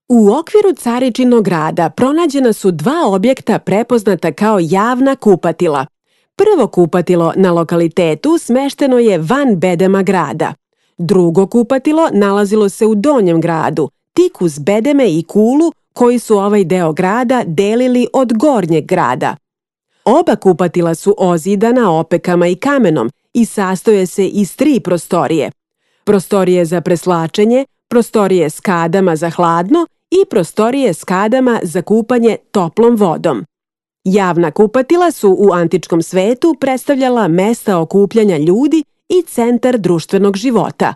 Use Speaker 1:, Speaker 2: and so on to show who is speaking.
Speaker 1: U okviru Caričinog grada pronađena su dva objekta prepoznata kao javna kupatila. Prvo kupatilo na lokalitetu smešteno je van bedema grada. Drugo kupatilo nalazilo se u donjem gradu, tik uz bedeme i kulu koji su ovaj deo grada delili od gornjeg grada. Oba kupatila su ozidana opekama i kamenom i sastoje se iz 3 prostorije. Prostorije za preslačenje, prostorije s kadama za hladno i prostorije s kadama za kupanje toplom vodom. Javna kupatila su u antičkom svetu predstavljala mesta okupljanja ljudi i centar društvenog života.